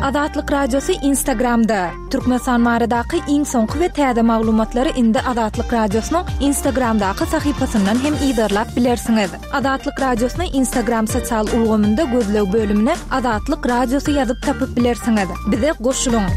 Azatlyk Radiosy Instagramda! Türkmenistan baradaky iň soňky we täze maglumatlary indi Azatlyk Radiosynyň Instagramdaky sahypasyndan hem yzarlap bilersiňiz. Azatlyk Radiosyny Instagram sosial ulgamynda gözleg bölümine Azatlyk Radiosy ýazyp tapyp bilersiňiz. Bize goşulyň!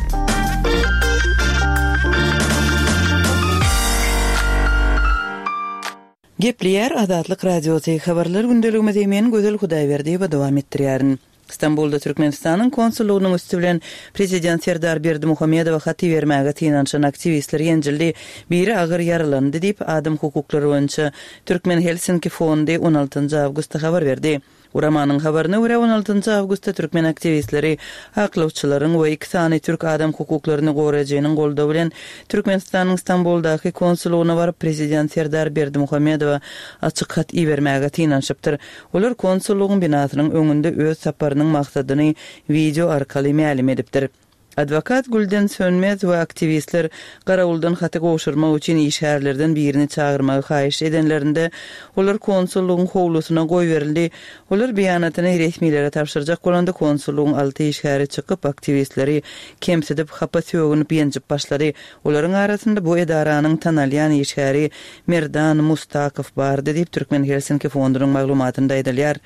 Gepleýär Azatlyk Radiosy, Habarlar gündeligimizi men Gözel Hudaýberdiýewa dowam etdirýärin. Stambulda Türkmenistanyň konsullygynyň üsti bilen prezident Serdar Berdimuhamedowa hat ibermäge synanyşan aktiwistler ýenjildi, biri agyr ýaralandy diýip, adam hukuklary boýunça Türkmen Helsinki fondy on altynjy awgustda habar berdi. Guramanyň habaryna görä, on altynjy awgustda türkmen aktiwistleri aklawçylaryň we iki sany türk adam hukuklaryny goraýjynyň goldawy bilen Türkmenistanyň Stambuldaky konsullygyna baryp, prezident Serdar Berdimuhamedowa açyk hat ibermäge synanyşypdyr. Olar konsullygyň binasynyň öňünde öz saparynyň maksadyny wideo arkaly mälim edipdir. Adwokat Gülden Sönmez we aktiwistler garawuldan haty gowşurmak üçin işgärlerden birini çagyrmagy haýyş edenlerinde, olar konsullygyň howlusyna goýberildi. Olar beýanatyny resmilere tabşyrjak bolanda, konsullygyň alty işgäri çykyp, aktiwistleri kemsidip, hapa sögünip, ýenjip başlady. Olaryň arasynda bu edaranyň tanalýan işgäri Merdan Mustakow bardy diýip, Türkmen Helsinki fondunyň maglumatynda aýdylýar.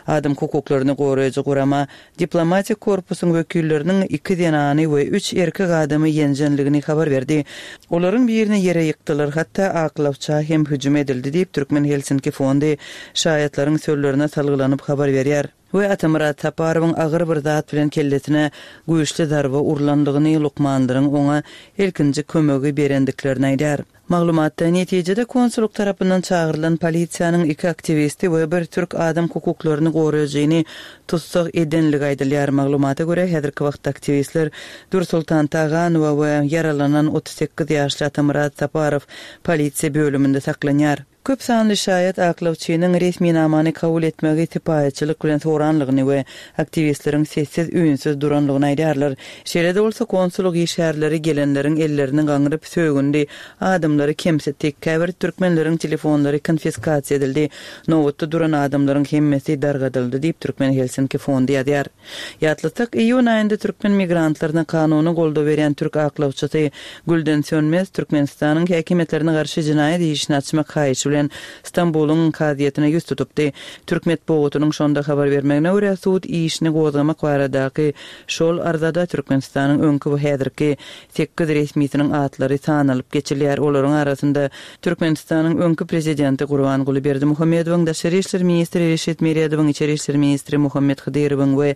Adam hukuklaryny goraýjy gurama diplomatik korpusyň wekilleriniň iki zenany we üç erkek adamy ýenjenligini habar berdi. Olaryň birini ýere ýykdylar, hatda aklawça hem hüjüm edildi diýip, Türkmen Helsinki fondy şaýatlaryň sözlerine salgylanyp habar berýär. We Atamyrat Saparowyň agyr bir zat bilen kellesine güýçli zarba urlandygyny, lukmanlaryň oňa ilkinji kömegi berendiklerini aýdýar. Maglumatda, netijede konsullyk tarapyndan çagyrylan polisiýanyň iki aktiwisti we bir türk adam hukuklaryny goraýjyny tussag edenligi aýdylýar. Maglumata görä, häzirki wagtda aktiwistler Dürsoltan Taganowa we ýaralanan 38 ýaşly Atamyrat Saparow polisiýa bölüminde saklanýar. Köp sanly şaýat aklawçynyň resminamany kabul etmegi sypaýyçylyk bilen soranlygyny we aktiwistleriň sessiz-üýnsüz duranlygyny aýdýarlar. Şeýle-de bolsa, konsullyk işgärleri gelenleriň ellerini gaňryp sögündi, adamlary kemsitdi, käbir türkmenleriň telefonlary konfiskasiýa edildi, nobatda duran adamlaryň hemmesi dargadyldy diýip, Türkmen Helsinki fondy ýazýar. Ýatlatsak, iýun aýynda türkmen migrantlaryna kanuny goldaw berýän türk aklawçysy Gülden Sönmez Türkmenistanyň häkimiýetlerine garşy jenaýat işini açmak haýyşy bilen Stambulyň kazyýetine ýüz tutupdy. Türk metbugatynyň şonda habar bermegine görä, sud işini gozgamak baradaky şol arzada Türkmenistanyň öňki we häzirki sekiz resmisiniň atlary sanalyp geçilýär. Olaryň arasynda Türkmenistanyň öňki prezidenti Gurbanguly Berdimuhamedowyň, daşary işler ministri Reşit Meredowyň, içeri işler ministri Muhammet Hydyrowyň we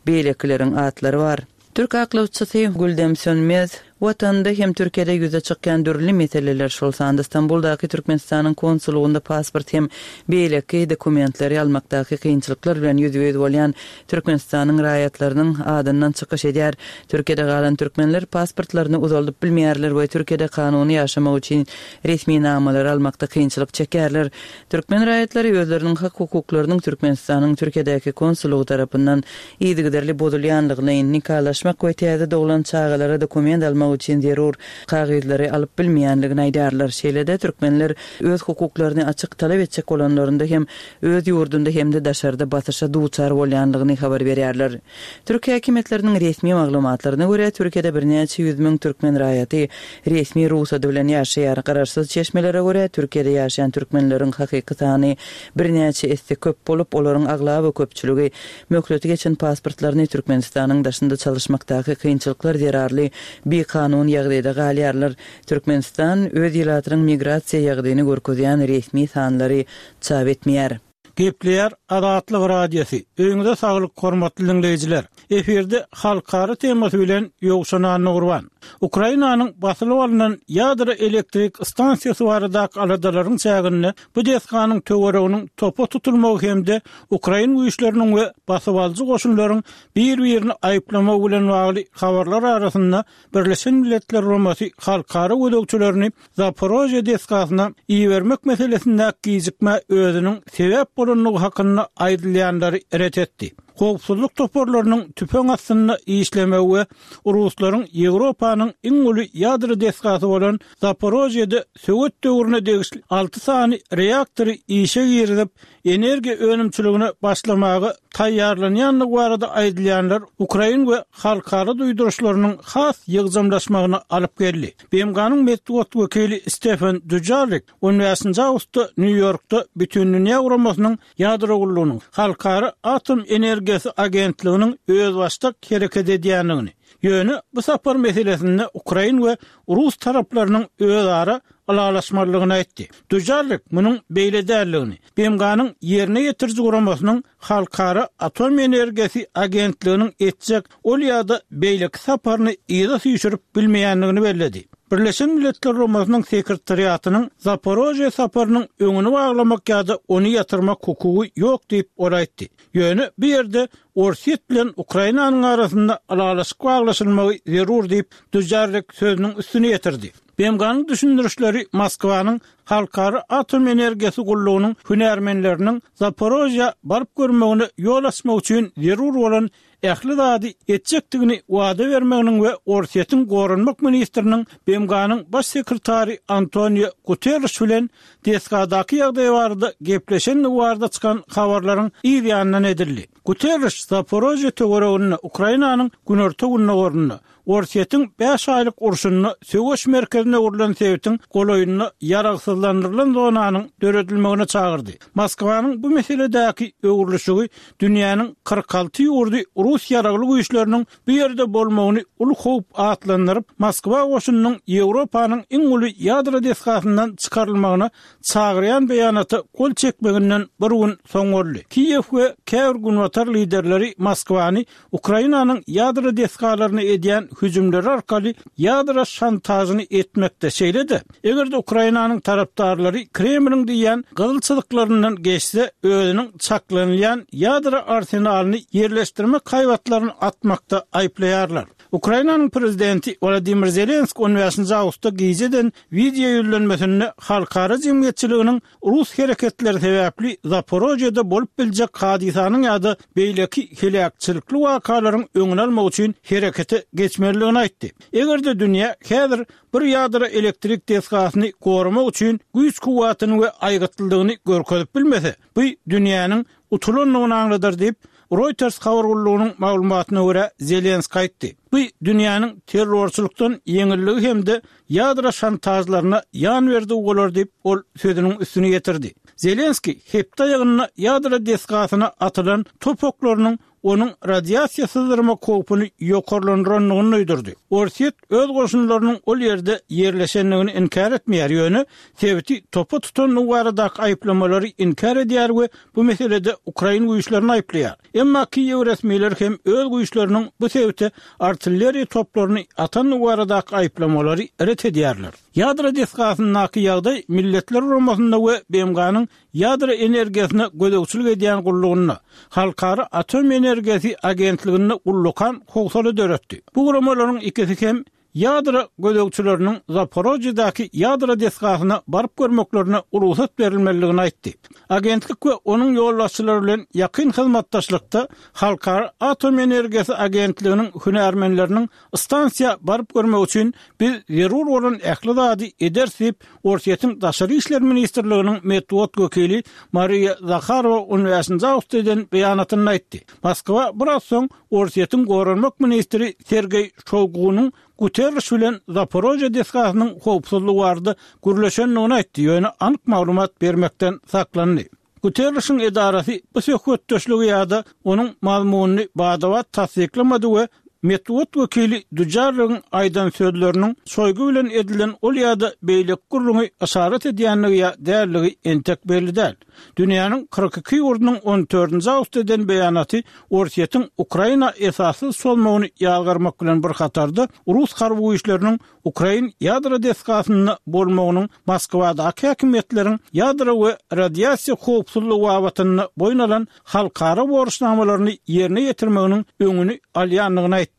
beýlekileriň atlary bar. Türk aklawçysy Güldem Sönmez, Watanda hem Türkiýede ýüze çykýan dürli meseleler, şol sanda Stambuldaky Türkmenistanyň konsullygynda pasport hem beýleki dokumentleri almakdaky kynçylyklar bilen ýüzbe-ýüz bolýan Türkmenistanyň raýatlarynyň adyndan çykyş edýär. Türkiýede galan türkmenler pasportlaryny uzaldyp bilmeýärler we Türkiýede kanuny ýaşamak üçin resminamalary almakda kynçylyk çekýärler. Türkmen raýatlary özleriniň hak-hukuklarynyň Türkmenistanyň Türkiýedäki konsullygy tarapyndan yzygiderli bozulýanlygyny, nikalaşmak we täze doglan çagalara dokument almak üçin zerur kagyzlary alyp bilmeýänligini aýdýarlar. Şeýle-de, türkmenler öz hukuklaryny açyk talap etjek bolanlarynda hem öz ýurdunda hem-de daşarda basyşa duçar bolýandygyny habar berýärler. Türk häkimiýetleriniň resmi maglumatlaryna görä, Türkiýede birnäçe ýüz müň türkmen raýaty resmi rugsady bilen ýaşaýar. Garaşsyz çeşmelere görä, Türkiýede ýaşaýan türkmenleriň hakyky sany birnäçe esse köp bolup, olaryň aglaba köpçüligi möhleti geçen pasportlaryny Türkmenistanyň daşynda çalyşmakdaky kynçylyklar zerarly bikanun ýagdaýda galýarlar. Türkmenistan öz ilatynyň migrasiýa ýagdaýyny görkezýän resmi sanlary çap etmeýär. Gepleýär Azatlyk Radiosy, Öýüňize saglyk hormatly diňleýjiler! Efirde halkara temasy bilen Ýowşan Annagurban. Ukrainanyň basylyp alnan ýadro elektrik stansiýasy baradaky aladalaryň çäginde bu desganyň töwereginiň topa tutulmagy hem-de ukrain güýçleriniň we basybalyjy goşunlaryň bir-birini aýyplamagy bilen bagly habarlar arasynda Birleşen Milletler Guramasy halkara gözegçilerini Zaporožýe desgasyna ibermek meselesindäki gijikmä özüniň sebäp bolandygy hakynda aýdylýanlary ret etdi. Howpsuzlyk toparlarynyň tüpeň astynda işlemegi we ruslaryň Ýewropanyň iň uly ýadro desgasy bolan Zaporožýede sowet döwrüne degişli alty sany reaktory işe girizip, energiýa önümçiligine başlamaga. taýýarlanýandygy barada aýdylýanlar ukrain we halkara duýduryşlarynyň has ýygjamlaşmagyna alyp geldi. BMG-niň metbugat wekili Stefen Dujarrik on bäşinji awgustda Nýu-Ýorkda Bütindünýä Guramasynyň Ýadro gullugynyň Halkara atom energiýasy agentliginiň özbaşdak hereket edýändigini, ýöne bu sapar meselesinde ukrain we rus taraplarynyň özara ylalaşmalydygyny aýtdy. Dujarrik munuň beýle däldigini, BMG-niň ýerine ýetiriji guramasynyň Halkara atom energiýasy agentliginiň etjek ol ýa-da beýleki saparyny yza süýşürip bilmeýändigini belledi. Birleşen Milletler Guramasynyň Sekretariatynyň Zaporožýe saparynyň öňüni baglamak ýa-da ony ýatyrmak hukugy ýok diýip, ol aýtdy. Ýöne bu ýerde Orsýet bilen Ukrainanyň arasynda ylalaşyk baglaşylmagy zerur diýip, Dujarrik sözüniň üstüni ýetirdi. BMG-niň düşündirişleri Moskwanyň Halkara atom energiýasy gullugynyň hünärmenleriniň Zaporožýa baryp görmegine ýol açmak üçin zerur bolan ähli zady etjekdigini wada bermeginiň we Orsýetiň goranmak ministriniň BMG-niň Baş sekretary Antonio Guterriş bilen desgadaky ýagdaý barada gepleşendigi barada çykan habarlaryň yz ýanyndan edildi. Guterriş Zaporožýe töwereginde, Ukrainanyň günorta-gündogarynda, Orsýetiň bäş aýlyk urşunda söweş merkezine öwrülen sebitiň golaýynda ýaragsyzlandyrylan zonanyň döredilmegine çagyrdy. Moskwanyň bu meseledäki öwrülişigi dünýäniň 46 ýurdy rus ýaragly güýçleriniň bu ýerde bolmagyny uly howp atlandyryp, Moskwa goşunynyň Ýewropanyň iň uly ýadro desgasyndan çykarylmagyna çagyrýan beýanata gol çekmeginden bir gün soň boldy. Kiýew we käbir günbatar liderleri Moskwany Ukrainanyň ýadro desgalaryna edýän hüjümleri arkaly ýadro şantažyny etmekde, şeýle-de, eger-de Ukrainanyň tarapdarlary Kremliň diýýän gyzyl çyzyklaryndan geçse, özüniň çaklanylýan ýadro arsenalyny ýerleşdirmek haýbatlaryny atmakda aýyplaýarlar. Ukrainanyň prezidenti Wolodymyr Zelenski on bäşinji awgustda gije eden wideo ýüzlenmesinde halkara jemgyýetçiliginiň Rus hereketleri sebäpli Zaporožýede bolup biljek hadysanyň ýa-da beýleki heläkçilikli wakalaryň öňüni almak üçin herekete geçmelidigini aýtdy. Eger-de dünýä häzir bir ýadro elektrik desgasyny goramak üçin güýç-kuwwatyny we aýgytlylygyny görkezip bilmese, bu dünýäniň utulandygyny aňladar diýip, Reuters habar gullugynyň maglumatyna görä, Zelenski aýtdy. Bu dünýäniň terrorçylykdan ýeňilligi hem-de ýadro şantažlaryna ýan berdigi bolar diýip, ol sözüniň üstüni ýetirdi. Zelenski hepde aýagynda ýadro desgasyna atylan top oklarynyň onuň radiasiýa syzdyrmak howpuny ýokarlandyrandygyny duýdurdy. Orsýet öz goşunlarynyň ol ýerde ýerleşendigini inkär etmeýär, ýöne sebiti topa tutandygy baradaky aýyplamalary inkär edýär we bu meselede ukrain güýçlerini aýyplaýar. Emma Kiýew resmileri hem öz güýçleriniň bu sebite artilleriýa toplaryny atandygy baradaky aýyplamalary ret edýärler. Ýadro desgasyndaky ýagdaý Milletler Guramasynda we BMG-niň Ýadro energiýasyna gözegçilik edýän gullugynda, Halkara atom energiýasy agentliginde ullakan howsala döretdi. Bu guramalaryň ikisi hem ýadro gözegçileriniň Zaporožýedäki ýadro desgasyna baryp görmeklerine rugsat berilmelidigini aýtdy. Agentlik we onuň ýolbaşçylary bilen ýakyn hyzmatdaşlykda Halkara atom energiýasy agentliginiň hünärmenleriniň stansiýa baryp görmegi üçin biz zerur bolan ähli zady ederis diýip, Orsýetiň Daşary işler ministrliginiň metbugat wekili Mariýa Zaharowa on bäşinji awgustda eden beýanatynda aýtdy. Moskwa biraz soň Orsýetiň goranmak ministri Sergeý Şoýgunyň Guterriş bilen Zaporožýe desgasynyň howpsuzlygy barada gürleşendigini aýtdy, ýöne anyk maglumat bermekden saklandy. Guterrişiň edarasy bu söhbetdeşligi ýa-da onuň mazmunyny bada-bat tassyklamady we metbugat wekili Dujarrigiň aýdan sözleriniň Şoýgu bilen edilen ol ýa-da beýleki gürrüňi yşarat edýändigi ýa däldigi entek belli däl. Dünýäniň 42 ýurdunyň on dördünji awgustda eden beýanaty Orsýetiň Ukraina esassyz çozmagyny ýazgarmak bilen bir hatarda, rus harby güýçleriniň ukrain ýadro desgasynda bolmagynyň Moskwadaky häkimiýetleriň ýadro we radiasiýa howpsuzlygy babatynda boýun alan halkara borçnamalaryny ýerine ýetirmeginiň öňüni alýandygyny aýtdy.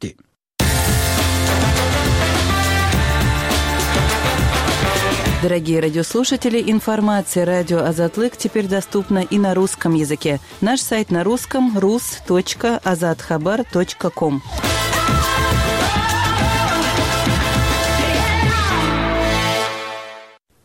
Дорогие радиослушатели, информация радио Азатлык теперь доступна и на русском языке. Наш сайт на русском rus.azathabar.com.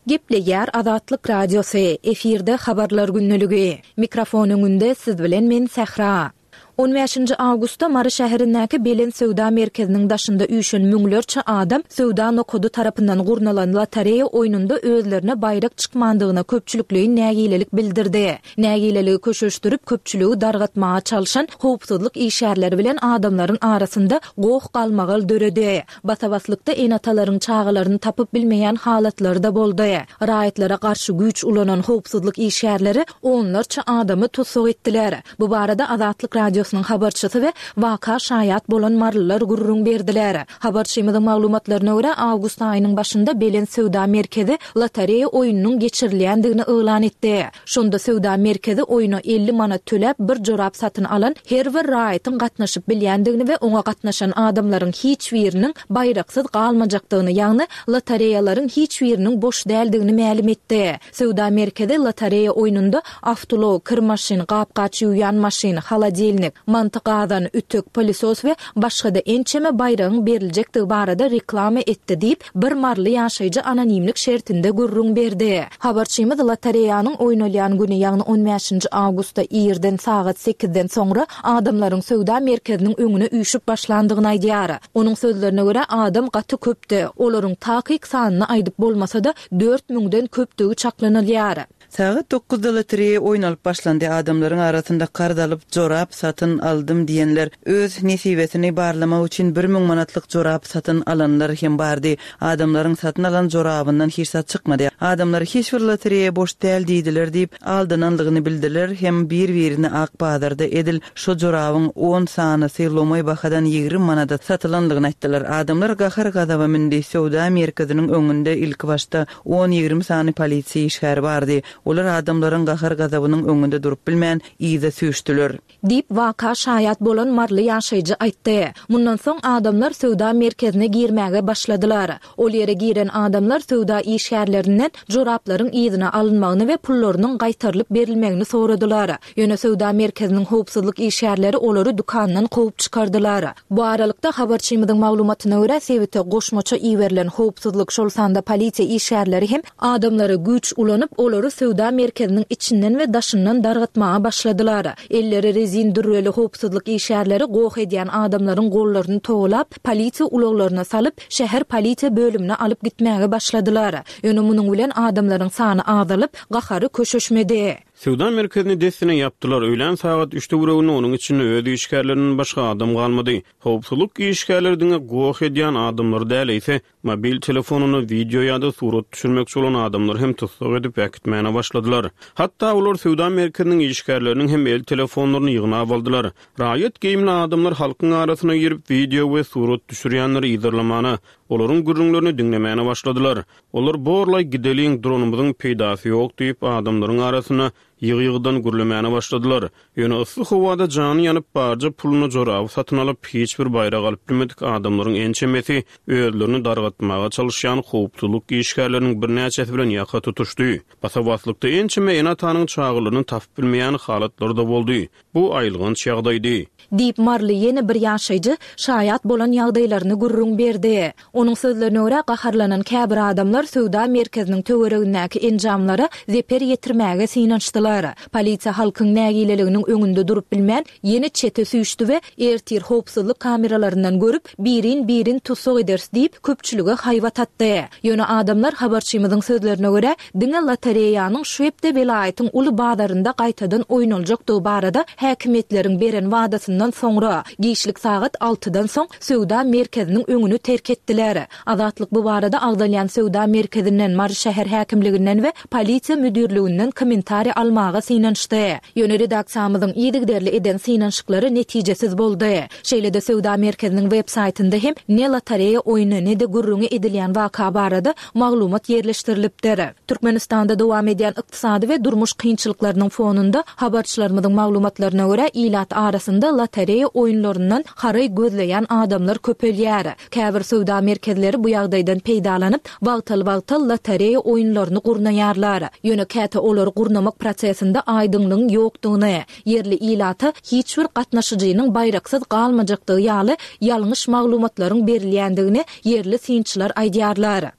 Gepleýär Azatlyk Radiosy, efirde Habarlar gündeligi. Mikrofon öňünde siz bilen men Sähra. On bäşinji awgustda Mary şäherindäki Belent söwda merkeziniň daşynda üýşen müňlerçe adam söwda nokady tarapyndan gurnalan lotereýa oýnunda özlerine baýrak çykmandygyna köpçülikleýin nägilelik bildirdi. Nägileligi köşeşdirip, köpçüligi dargatmaga çalşan howpsuzlyk işgärleri bilen adamlaryň arasynda goh-galmagal döredi. Basa-baslykda ene-atalaryň çagalaryny tapyp bilmeýän halatlary-da boldy. Raýatlara garşy güýç ulanan howpsuzlyk işgärleri onlarça adamy tussag etdiler. Bu barada Azatlyk Radiosynyň habarçysy we waka şaýat bolan marylylar gürrüň berdiler. Habarçymyzyň maglumatlaryna görä, awgust aýynyň başynda Belent söwda merkezi lotereýa oýnunyň geçirilýändigini yglan etdi. Şonda söwda merkezi oýna 50 manat töläp bir jorap satyn alan her bir raýatyň gatnaşyp bilýändigini we oňa gatnaşan adamlaryň hiç biriniň baýraksyz galmajakdygyny, ýagny lotereýalaryň hiç biriniň boş däldigini mälim etdi. Söwda merkezi lotereýa oýnunda awtoulag, kir maşyn, gap-gaç ýuwýan maşyn, holodilnik, manty gazan, ütük, pylesos we başga-da ençeme baýragyň beriljekdigi barada reklama etdi diýip, bir maryly ýaşaýjy anonimlik şertinde gürrüň berdi. Habarçymyz lotereýanyň oýnalýan güni, ýagny on bäşinji awgustda irden sagat sekizden soňra adamlaryň söwda merkeziniň öňüne üýşüp başlandygyny aýdýar. Onuň sözlerine görä, adam gaty köpdi. Olaryň takyk sanyny aýdyp bolmasa-da, dört müňden köpdügi çaklanylýar. Sagat dokuzda lotereýa oýnalyp başlandy. Adamlaryň arasynda karz alyp, jorap satyn aldym diýenler, öz nesibesini barlamak üçin 1000 manatlyk jorap satyn alanlar hem bardy. Adamlaryň satyn alan jorabyndan hiç zat çykmady. Adamlar hiç bir lotereýa boş däl diýdiler diýip, aldananlygyny bildiler hem bir-birine ak bazarda edil şo jorabyň on sanysy lomaý bahadan 20 manada satylanlygyny aýtdylar. Adamlar gahar-gazaba mündi. Söwda merkeziniň öňünde ilkibaşda On-ýigrimi sany polisiýa işgäri bardy. Olar adamlaryň gahar-gazabynyň öňünde durup bilmän, yza süýşdüler. Diýip, waka şaýat bolan maryly ýaşaýjy aýtdy. Mundan soň adamlar söwda merkezine girmäge başladylar. Ol ýere giren adamlar söwda işgärlerinden joraplaryň yzyna alynmagyny we pullarynyň gaýtarylyp berilmegini soradylar. Ýöne söwda merkeziniň howpsuzlyk işgärleri olary dükandan kowup çykardylar. Bu aralykda, habarçymyzyň maglumatyna görä, sebite goşmaça iberilen howpsuzlyk, şol sanda polisiýa işgärleri hem adamlara güýç ulanyp, olary söwda merkeziniň içinden we daşyndan dargatmaga başladylar. Elleri rezin dürreli howpsuzlyk işgärleri goh edýän adamlaryň gollaryny togalap, polisiýa ulaglaryna salyp, şäher polisiýa bölümine alyp gitmäge başladylar. Ýöne munuň bilen adamlaryň sany azalyp, gahary köşeşmedi. Söwda merkezini dessine ýapdylar. Öýlän sagat üç töwereginde onuň içinde öz işgärlerinden başga adam galmady. Howpsuzlyk işgärleri diňe goh edýän adamlary däl, eýse, mobil telefonynda wideo ýa-da surat düşürmekçi bolan adamlary hem tussag edip äkitmäne başladylar. Hatda olar söwda merkeziniň işgärleriniň hem el telefonlaryny ýygnap aldylar. Raýat geýimli adamlar halkyň arasyna girip, wideo we surat düşürýänleri yzarlamana, olaryň gürrüňlerini diňlemäne başladylar. Olar Borlaý gideliň, duranymyzyň peýdasy ýok diýip, adamlaryň arasynda ýygy-ýygydan gürlemäne başladylar. Ýöne yssy howada jany ýanyp, barja puluna joraby satyn alyp, hiç bir baýrak alyp bilmedik adamlaryň ençemesi özlerini dargatmaga çalyşýan howpsuzlyk işgärleriniň birnäçesi bilen ýaka tutuşdy. Basa-baslykda ençeme ene-atanyň çagalaryny tapyp bilmeýän halatlary-da boldy. Bu aýylganç ýagdaýdy. Diýip, maryly ýene bir ýaşaýjy şaýat bolan ýagdaýlaryny gürrüň berdi. Onuň sözlerine görä, gaharlanan käbir adamlar söwda merkeziniň töweregindäki enjamlara zeper ýetirmäge synanyşdylar. Polisiýa halkyň nägileliginiň öňünde durup bilmän, ýene çete süýşdi we ertir howpsuzlyk kameralaryndan görüp, birin-birin tussag ederis diýip, köpçülige haýbat atdy. Ýöne adamlar habarçymyzyň sözlerine görä, diňe lotereýanyň şu hepde welaýatyň uly bazarynda gaýtadan oýnaljakdygy barada häkimiýetleriň beren wadasyndan soňra, giçlik sagat altydan soň söwda merkeziniň öňüni terk etdiler. Azatlyk bu barada agzalýan söwda merkezinden, Mary şäher häkimliginden we polisiýa müdirliginden kommentariý almaga synanyşdy. Ýöne redaksiýamyzyň yzygiderli eden synanyşyklary netijesiz boldy. Şeýle-de söwda merkeziniň web saýtynda hem ne lotereýa oýny, ne-de gürrüňi edilýän waka barada maglumat ýerleşdirilipdir. Türkmenistanda dowam edýän ykdysady we durmuş kynçylyklarynyň fonunda, habarçylarymyzyň maglumatlaryna görä, ilat arasynda lotereýa oýunlaryndan haraý gözleýän adamlar köpelýär. Käbir söwda merkezleri bu ýagdaýdan peýdalanyp, wagtal-wagtal lotereýa oýunlaryny gurnaýarlar. Ýöne käte olary gurnamak prosesinde aýdyňlygyň ýokdugyny, ýerli ilata hiç bir gatnaşyjynyň baýraksyz galmajakdygy ýaly ýalňyş maglumatlaryň berilýändigini ýerli synçylar aýdýarlar.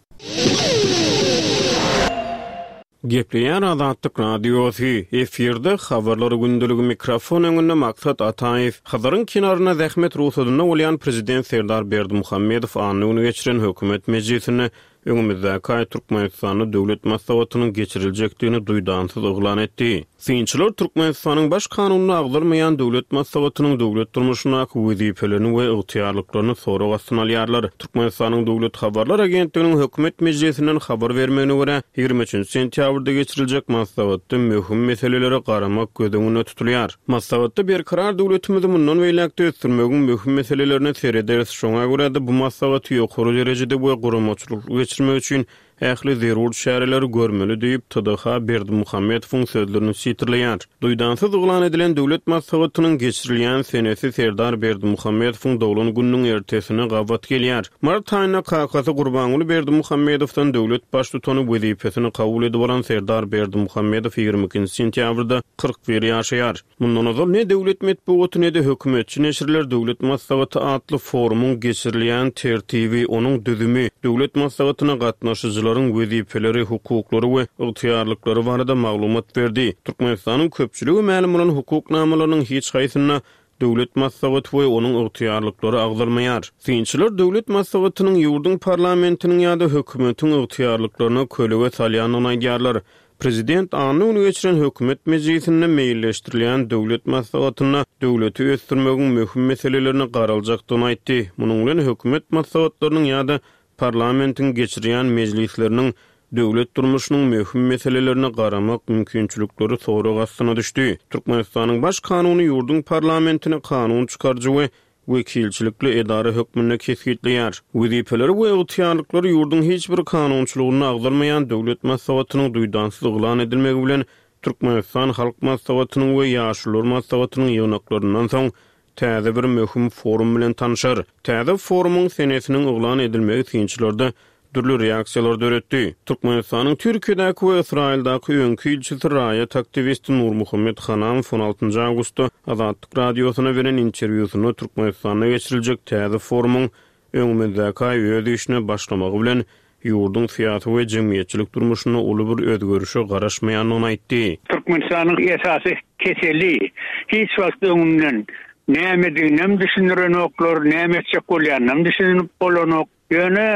Gepleýär Azatlyk Radiosy, efirde Habarlar gündeligi mikrofon öňünde Maksat Ataýew. Hazaryň kenarynda zähmet rugsadynda bolýan Prezident Serdar Berdimuhamedow anna güni geçiren hökümet mejlisinde öňümizdäki aý Türkmenistanda Döwlet maslahatynyň geçiriljekdigini duýdansyz yglan etdi. Synçylar Türkmenistanyň Baş Kanunynda agzalmaýan Döwlet maslahatynyň döwlet durmuşyndaky wezipelerini we ygtyýarlyklaryny sorag astyna alýarlar. Türkmenistanyň Döwlet habarlar agentliginiň hökümet mejlisinden habar bermegine görä, 23 sentýabrda geçiriljek maslahatda möhüm meselelere garamak göz öňünde tutulýar. Maslahatda Berkarar döwletimizi mundan beýläk-de ösdürmegiň möhüm meselelerine serederis, şoňa görä-de bu maslahaty ýokary derejede we guramaçylykly geçirmek üçin ähli zerur çäreleri görmeli diýip, TDH Berdimuhamedowyň sözlerini sitirleýär. Duýdansyz yglan edilen döwlet maslahatynyň geçirilýän senesi Serdar Berdimuhamedowyň doglan gününiň ertesine gabat gelýär. Mart aýynda kakasy Gurbanguly Berdimuhamedowdan döwlet baştutany wezipesini kabul edip alan Serdar Berdimuhamedow 22-nji sentýabrda 41 ýaşaýar. Mundan ozal ne döwlet metbugaty, ne-de hökümetçi neşirler Döwlet maslahaty atly forumyň geçirilýän tertibi, onuň düzümi, Döwlet maslahatyna gatnaşyjylaryň wezipeleri, hukuklary we ygtyýarlyklary barada maglumat berdi. Türkmenistanyň köpçülige mälim bolan hukuk namalarynyň hiç haýsynda Döwlet maslahaty we onuň ygtyýarlyklary agzalmaýar. Synçylar Döwlet maslahatynyň ýurduň parlamentiniň ýa-da hökümetiň ygtyýarlyklaryna kölege salýandygyny aýdýarlar. Prezident anna güni geçiren hökümet mejlisinde meýilleşdirilýän döwlet maslahatynda döwleti ösdürmegiň möhüm meselelerine garaljakdygyny aýtdy. Munuň bilen hökümet maslahatlarynyň ýa-da parlamentiň geçirýän mejlisleriniň döwlet durmuşynyň möhüm meselelerine garamak mümkinçilikleri sorag astyna düşdi. Türkmenistanyň Baş kanuny ýurduň parlamentini kanun çykaryjy we wekilçilikli edara hökmünde kesgitleýär. Wezipeleri we ygtyýarlyklary ýurduň hiç bir kanunçylygynda agzalmaýan Döwlet Maslahatynyň duýdansyz yglan edilmegi bilen Türkmenistan Halk Maslahatynyň we Ýaşulular Maslahatynyň ýygnaklaryndan soň täze bir möhüm forum bilen tanşar. Täze forumyň senesiniň yglan edilmegi synçylarda dürli reaksiýalary döretdi. Türkmenistanyň Türkiýedäki we Ysraýyldaky öňki ilçisi raýat aktiwisti Nurmuhammet Hanamow on altynjy awgustda Azatlyk Radiosyna beren interwýusynda Türkmenistanda geçiriljek täze forumyň öňümizdäki aý öz işine başlamagy bilen ýurduň syýasy we jemgyýetçilik durmuşynda uly bir özgerişe garaşmaýandygyny aýtdy. Türkmenistanyň esasy keseli hiç wagt öňünden nämediginem düşündirenoklar, näme etjek bolýanynam düşünip bolanok. Ýöne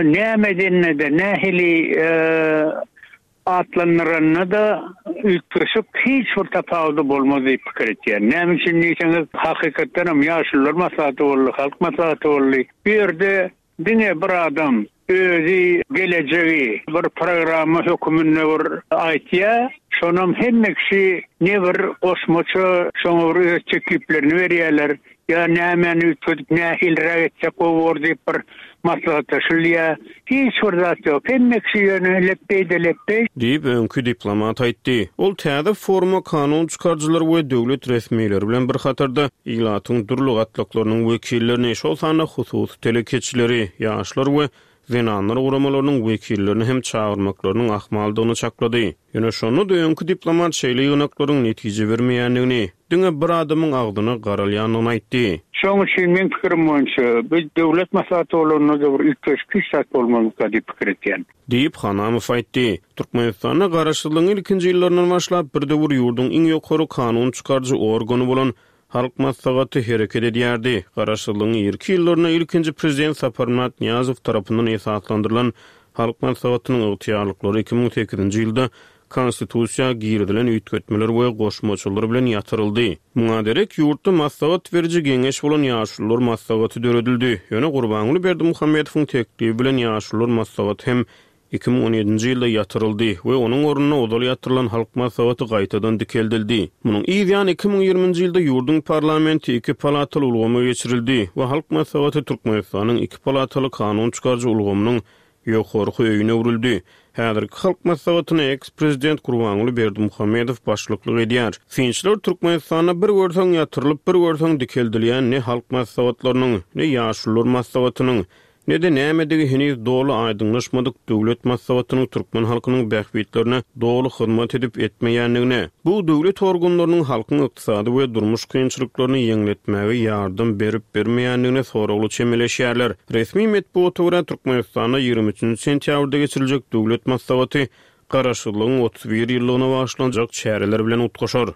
näme edende-de, nähili atlandyranda-da üýtgeşik hiç bir tapawudy bolmaz diýip pikir etýän. Näme üçin diýseňiz, hakykatdanam Ýaşulular maslahaty boldy, Halk maslahaty boldy. Bu ýerde diňe bir adam özi gelejegi bir programma höküminde bir aýtýar. Şonam hemme kişi ne bir goşmaça şoňa bir öz tekliplerini berýärler. Ýa nämäni üýtgedip nähiliräk etsek gowy bor diýip bir maslahatlaşylýar. Hiç bir zat ýok. Hemme kişi ýöne lepbeý-de lepbeý. Diýip, öňki diplomat aýtdy. Ol täze foruma kanun çykaryjylar we döwlet resmileri bilen bir hatarda, ilatyň dürli gatlaklarynyň wekillerini, şol sanda hususy telekeçileri, ýaşlar we zenanlar guramalarynyň wekillerini hem çagyrmaklarynyň ahmaldygyny çaklady. Ýöne şonda-da öňki diplomat şeýle ýygnaklaryň netije bermeýändigini, diňe bir adamyň agzyna garalýandygyny aýtdy. Şonuň üçin meň pikirim boýunça, bu döwlet maslahaty bolanda-da bir üýtgeşik hiç zat bolmazmyka diýip pikir etýän. Diýip, Hanamow aýtdy. Türkmenistanda garaşsyzlygyň ilkinji ýyllaryndan başlap bir döwür ýurduň iň ýokary kanun çykaryjy organy bolan Halk Maslahaty hereket edýärdi. Garaşsyzlygyň irki ýyllarynda ilkinji Prezident Saparmyrat Nyýazow tarapyndan esaslandyrylan Halk Maslahatynyň ygtyýarlyklary 2008-nji ýylda Konstitusiýa girizilen üýtgetmeler we goşmaçalar bilen ýatyryldy. Muňa derek ýurtda maslahat beriji geňeş bolan Ýaşulular maslahaty döredildi. Ýöne Gurbanguly Berdimuhamedowyň teklibi bilen Ýaşulular maslahaty hem 2017-nji ýylda ýatyryldy we onuň ornuna ozal ýatyrylan Halk Maslahaty gaýtadan dikeldildi. Munuň yz ýany 2020-nji ýylda ýurduň parlamenti iki palataly ulgama geçirildi we Halk Maslahaty Türkmenistanyň iki palataly kanun çykaryjy ulgamynyň ýokarky öýüne öwrüldi. Häzirki Halk Maslahatyna eks-prezident Gurbanguly Berdimuhamedow başlyklyk edýär. Synçylar Türkmenistanda bir görseň ýatyrylyp, bir görseň dikeldilýän ne Halk Maslahatlarynyň, ne Ýaşulular Maslahatynyň, Ne-de nämedigi heniz doly aýdyňlaşmadyk Döwlet maslahatynyň türkmen halkynyň bähbitlerine doly hyzmat edip etmeýändigine, bu döwlet organlarynyň halkyň ykdysady we durmuş kynçylyklaryny ýeňletmäge ýardam berip-bermeýändigine soragly çemeleşýärler. Resmi metbugata görä, Türkmenistanda 23 nji sentýabrda geçiriljek Döwlet maslahaty. Garaşsyzlygyň 31 ýyllygyna bagyşlanjak çäreler bilen utgaşar.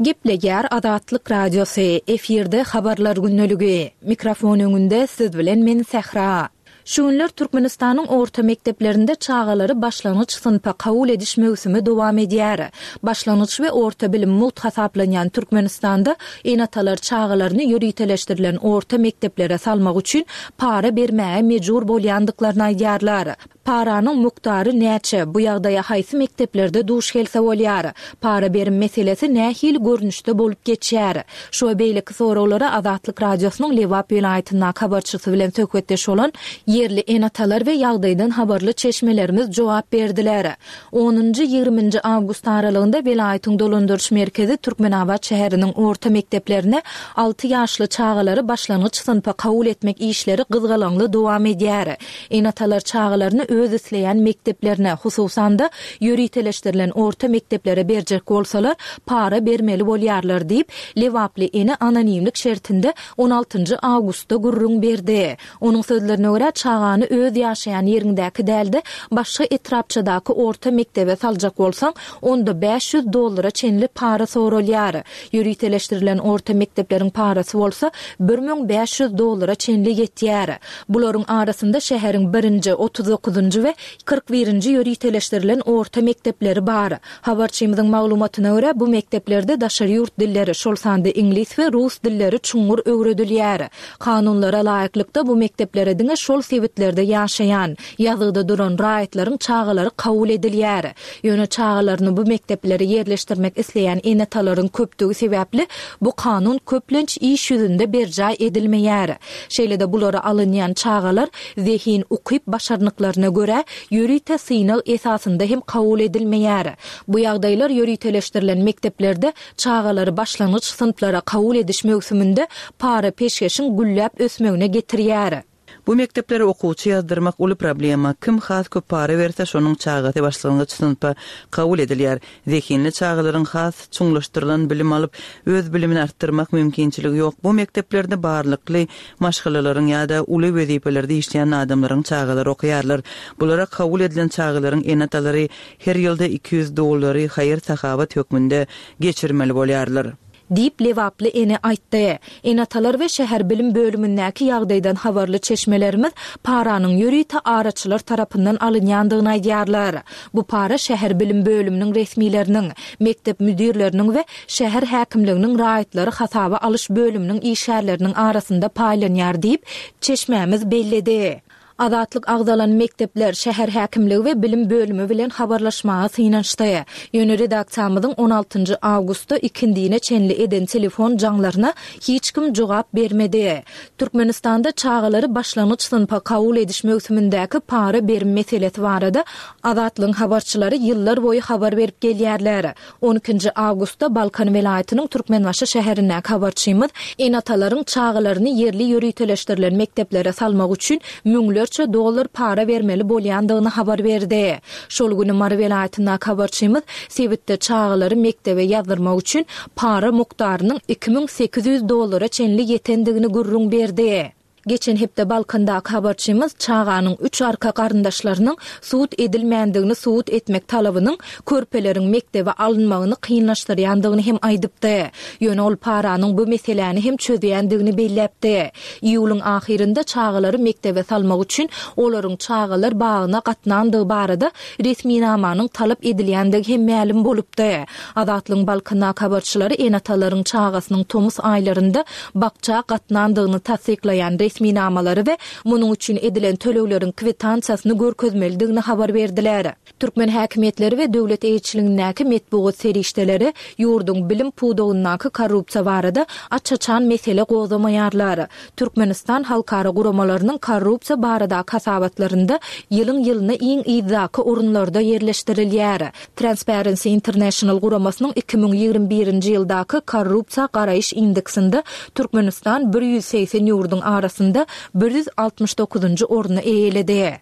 Gepleýär Azatlyk Radiosy, efirde Habarlar gündeligi. Mikrofon öňünde siz bilen men Sähra. Şu günler Türkmenistanyň orta mekdeplerinde çagalary başlangyç synpa kabul ediş möwsümi dowam edýär. Başlangyç we orta bilim mugt hasaplanýan Türkmenistanda ene-atalar çagalaryny ýöriteleşdirilen orta mekdeplere salmak üçin para bermäge mejbur bolýandyklaryny aýdýarlar. Paranyň mukdary näçe, bu ýagdaýa haýsy mekdeplerde duş gelse bolýar? Para berim meselesi nähili görnüşde bolup geçýär? Şu we beýleki soraglara Azatlyk Radiosynyň Lebap welaýatyndaky habarçysy bilen söhbetdeş bolan ýerli ene-atalar we ýagdaýdan habarly çeşmelerimiz jogap berdiler. Onunjy, ýigriminji awgust aralygynda welaýatyň dolandyryş merkezi Türkmenabat şäheriniň orta mekdeplerine alty ýaşly çagalary başlangyç synpa kabul etmek işleri gyzgalaňly dowam edýär. Ene-atalar çagalaryny öz isleýän mekdeplerine, hususan-da, ýöriteleşdirilen orta mekdeplere berjek bolsalar, para bermeli bolýarlar diýip, lebaply ene anonimlik şertinde on altynjy awgustda gürrüň berdi. Onuň sözlerine görä, çagany öz ýaşaýan ýeriňdäki däl-de, başga etrapçadaky orta mekdebe saljak bolsaň, onda 500 dollara çenli para soralýar. Ýöriteleşdirilen orta mekdepleriň parasy bolsa 1500 dollara çenli ýetýär. Bularyň arasynda şäheriň birinji, 39-njy we 41-nji ýöriteleşdirilen orta mekdepleri bar. Habarçymyzyň maglumatyna görä, bu mekdeplerde daşary ýurt dilleri, şol sanda iňlis we rus dilleri çuňňur öwredilýär. Kanunlara laýyklykda, bu mekdeplere diňe şol sebitlerde ýaşaýan, ýazgyda duran raýatlaryň çagalary kabul edilýär. Ýöne çagalaryny bu mekdeplere ýerleşdirmek isleýän ene-atalaryň köpdügi sebäpli, bu kanun köplenç iş ýüzünde berjaý edilmeýär. Şeýle-de bulara alynýan çagalar zehin, ukyp-başarnyklaryna görä, ýörite synag esasynda hem kabul edilmeýär. Bu ýagdaýlar ýöriteleşdirilen mekdeplerde çagalary başlangyç synplara kabul ediş möwsüminde para-peşgeşiň gülläp ösmegine getirýär. Bu mekdeplere okuwçy ýazdyrmak uly problema. Kim has köp para berse, şonuň çagasy başlangyç synpa kabul edilýär. Zehinli çagalaryň has çuňlaşdyrylan bilim alyp, öz bilimini artdyrmak mümkinçiligi ýok. Bu mekdeplerde barlykly maşgalalaryň ýa-da uly wezipelerde işleýän adamlaryň çagalary okaýarlar. Bulara kabul edilen çagalaryň ene-atalary her ýylda 200 dollary haýyr-sahawat hökmünde geçirmeli bolýarlar. Diýip, lebaply ene aýtdy. Ene-atalar we şäher bilim bölümindäki ýagdaýdan habarly çeşmelerimiz paranyň ýörite araçylar tarapyndan alynýandygyny aýdýarlar. Bu para şäher bilim bölüminiň resmileriniň, mekdep müdirleriniň we şäher häkimliginiň raýatlary hasaba alyş bölüminiň işgärleriniň arasynda paýlanýar diýip, çeşmämiz belledi. Azatlyk agzalan mekdepler, şäher häkimligi we bilim bölümi bilen habarlaşmaga synanyşdy. Ýöne redaksiýamyzyň on altynjy awgustda ikindine çenli eden telefon jaňlaryna hiç kim jogap bermedi. Türkmenistanda çagalary başlangyç synpa kabul ediş möwsümindäki para berim meselesi barada Azatlygyň habarçylary ýyllar boýy habar berip gelýärler. On ikinji awgustda Balkan welaýatynyň Türkmenbaşy şäherindäki habarçymyz ene-atalaryň çagalaryny ýerli ýöriteleşdirilen mekdeplere salmak üçin müňlerçe dollar para bermeli bolýandygyny habar berdi. Şol güni Mary welaýatyndaky habarçymyz sebitde çagalary mekdebe ýazdyrmak üçin para mukdarynyň 2800 dollara çenli ýetendigini gürrüň berdi. Geçen hepde Balkandaky habarçymyz çaganyň üç arka garyndaşlarynyň sud edilmändigini subut etmek talabynyň körpeleriň mekdebe alynmagyny kynlaşdyrýandygyny hem aýdypdy. Ýöne ol paranyň bu meseläni hem çözýändigini belläpdi. Iýulyň ahyrynda çagalary mekdebe salmak üçin olaryň çagalar bagyna gatnandygy barada resminamanyň talap edilýändigi hem mälim bolupdy. Azatlygyň Balkandaky habarçylary ene-atalaryň çagasynyň tomus aýlarynda bakja gatnandygyny tassyklaýan resminamalary we munuň üçin edilen tölegleriň kwitansiýasyny görkezmelidigini habar berdiler. Türkmen häkimiýetleri we döwlet eýeçiligindäki metbugat serişdeleri ýurduň bilim pudagyndaky korrupsiýa barada aç-açan mesele gozgamaýarlar. Türkmenistan halkara guramalarynyň korrupsiýa baradaky hasabatlarynda ýylyň-ýylyna iň yzdaky orunlarda ýerleşdirilýär. Transparency International guramasynyň 2021-nji ýyldaky korrupsiýa garaýyş indeksinde Türkmenistan 180 ýurduň arasynda 169-njy orny eýeledi.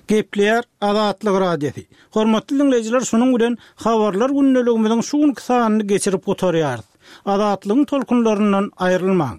Gepleýär Azatlyk Radiosy. Hormatly diňleýjiler şunuň bilen Habarlar gündeligimiziň şu günki sanyny geçirip gutarýarys. Azatlygyň tolkunlaryndan aýrylmaň!